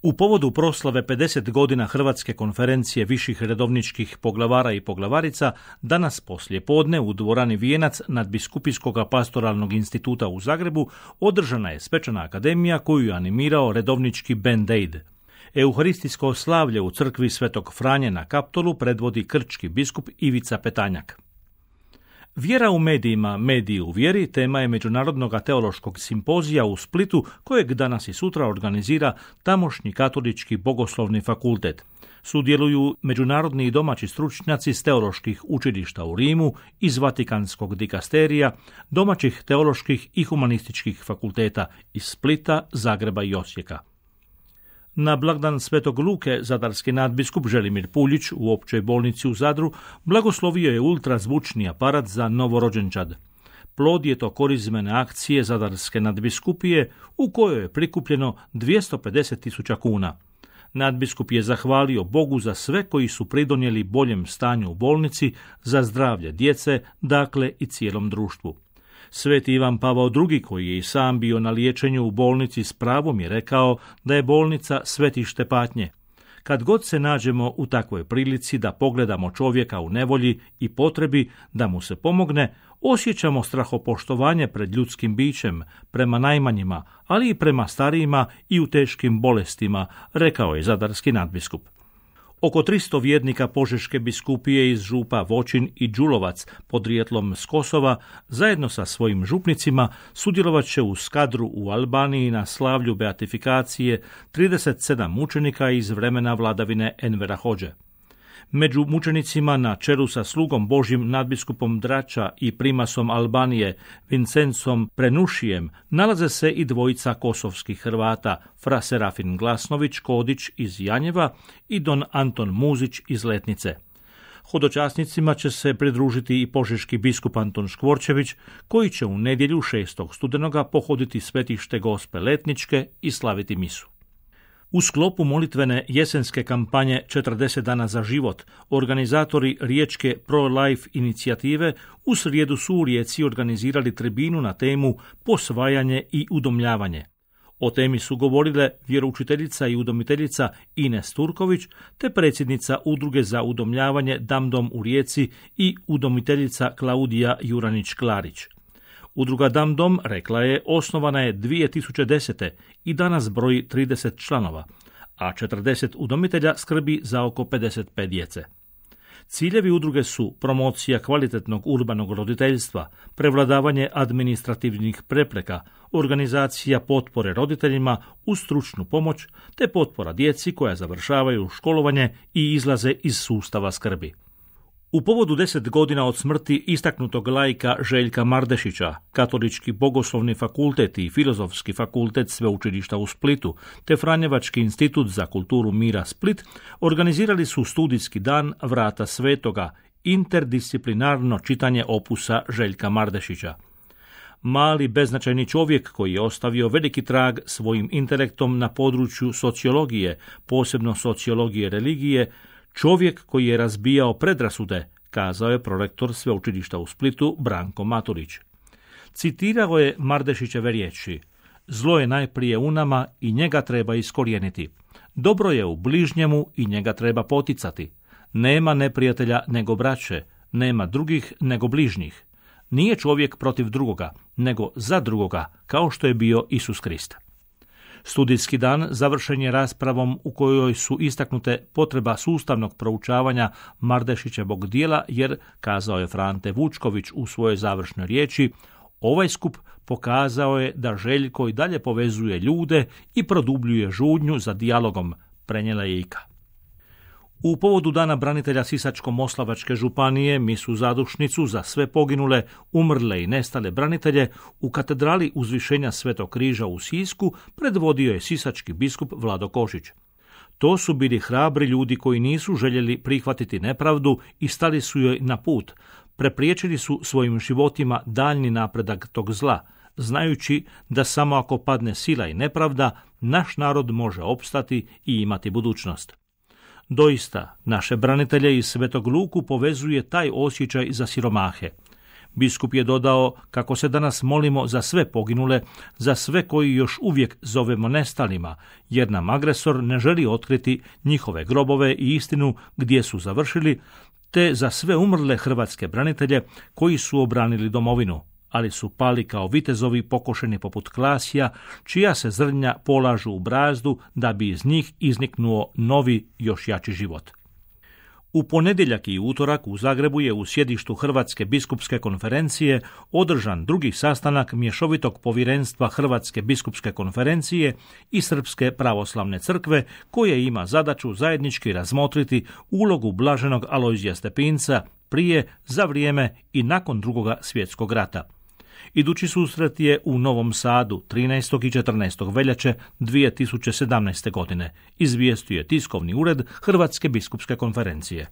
U povodu proslave 50 godina Hrvatske konferencije viših redovničkih poglavara i poglavarica, danas poslije podne u dvorani Vijenac Nadbiskupijskog pastoralnog instituta u Zagrebu održana je svečana akademija koju je animirao redovnički Band Aid. Euharistijsko slavlje u crkvi Svetog Franje na Kaptolu predvodi krčki biskup Ivica Petanjak. Vjera u medijima, mediji u vjeri tema je Međunarodnog teološkog simpozija u Splitu kojeg danas i sutra organizira tamošnji katolički bogoslovni fakultet. Sudjeluju međunarodni i domaći stručnjaci s teoloških učilišta u Rimu, iz Vatikanskog dikasterija, domaćih teoloških i humanističkih fakulteta iz Splita, Zagreba i Osijeka. Na blagdan Svetog Luke zadarski nadbiskup Želimir Puljić u općoj bolnici u Zadru blagoslovio je ultrazvučni aparat za novorođenčad. Plod je to korizmene akcije zadarske nadbiskupije u kojoj je prikupljeno 250.000 kuna. Nadbiskup je zahvalio Bogu za sve koji su pridonijeli boljem stanju u bolnici, za zdravlje djece, dakle i cijelom društvu. Sveti Ivan Pavao II, koji je i sam bio na liječenju u bolnici, s pravom je rekao da je bolnica svetište patnje. Kad god se nađemo u takvoj prilici da pogledamo čovjeka u nevolji i potrebi da mu se pomogne, osjećamo strahopoštovanje pred ljudskim bićem, prema najmanjima, ali i prema starijima i u teškim bolestima, rekao je zadarski nadbiskup. Oko 300 vjernika Požeške biskupije iz župa Voćin i Đulovac, podrijetlom s Kosova, zajedno sa svojim župnicima sudjelovat će u Skadru u Albaniji na slavlju beatifikacije 37 mučenika iz vremena vladavine Envera Hodže. Među mučenicima na čelu sa slugom Božjim nadbiskupom Drača i primasom Albanije Vincencom Prenušijem nalaze se i dvojica kosovskih Hrvata, fra Serafin Glasnović Kodić iz Janjeva i don Anton Muzić iz Letnice. Hodočasnicima će se pridružiti i požeški biskup Anton Škvorčević, koji će u nedjelju 6. studenoga pohoditi svetište Gospe Letničke i slaviti misu. U sklopu molitvene jesenske kampanje 40 dana za život, organizatori riječke Pro-Life inicijative u srijedu su u Rijeci organizirali tribinu na temu posvajanje i udomljavanje. O temi su govorile vjeroučiteljica i udomiteljica Ines Turković te predsjednica Udruge za udomljavanje Damdom u Rijeci i udomiteljica Klaudija Juranić-Klarić. Udruga Damdom, rekla je, osnovana je 2010. i danas broji 30 članova, a 40 udomitelja skrbi za oko 55 djece. Ciljevi udruge su promocija kvalitetnog urbanog roditeljstva, prevladavanje administrativnih prepreka, organizacija potpore roditeljima uz stručnu pomoć te potpora djeci koja završavaju školovanje i izlaze iz sustava skrbi. U povodu 10 godina od smrti istaknutog laika Željka Mardešića, Katolički bogoslovni fakultet i Filozofski fakultet Sveučilišta u Splitu te Franjevački institut za kulturu mira Split organizirali su studijski dan Vrata svetoga, interdisciplinarno čitanje opusa Željka Mardešića. Mali beznačajni čovjek koji je ostavio veliki trag svojim intelektom na području sociologije, posebno sociologije religije, čovjek koji je razbijao predrasude, kazao je prorektor Sveučilišta u Splitu Branko Maturić. Citirao je Mardešićeve riječi: "Zlo je najprije u nama i njega treba iskorijeniti. Dobro je u bližnjemu i njega treba poticati. Nema neprijatelja nego braće, nema drugih nego bližnjih. Nije čovjek protiv drugoga, nego za drugoga, kao što je bio Isus Krist." Studijski dan završen je raspravom u kojoj su istaknute potreba sustavnog proučavanja Mardešićevog djela jer, kazao je Frante Vučković u svojoj završnoj riječi, ovaj skup pokazao je da Željko i dalje povezuje ljude i produbljuje žudnju za dijalogom, prenijela je Ika. U povodu Dana branitelja Sisačko-moslavačke županije misu zadušnicu za sve poginule, umrle i nestale branitelje u katedrali Uzvišenja Svetog križa u Sisku predvodio je sisački biskup Vlado Košić. To su bili hrabri ljudi koji nisu željeli prihvatiti nepravdu i stali su joj na put. Prepriječili su svojim životima daljni napredak tog zla, znajući da samo ako padne sila i nepravda, naš narod može opstati i imati budućnost. Doista, naše branitelje iz Svetog Luku povezuje taj osjećaj za siromahe. Biskup je dodao kako se danas molimo za sve poginule, za sve koji još uvijek zovemo nestalima, jer nam agresor ne želi otkriti njihove grobove i istinu gdje su završili, te za sve umrle hrvatske branitelje koji su obranili domovinu, ali su pali kao vitezovi pokošeni poput klasija, čija se zrnja polažu u brazdu da bi iz njih izniknuo novi, još jači život. U ponedjeljak i utorak u Zagrebu je u sjedištu Hrvatske biskupske konferencije održan drugi sastanak mješovitog povjerenstva Hrvatske biskupske konferencije i Srpske pravoslavne crkve, koje ima zadaću zajednički razmotriti ulogu blaženog Alojzija Stepinca prije, za vrijeme i nakon Drugoga svjetskog rata. Idući susret je u Novom Sadu 13. i 14. veljače 2017. godine, izvijestio je tiskovni ured Hrvatske biskupske konferencije.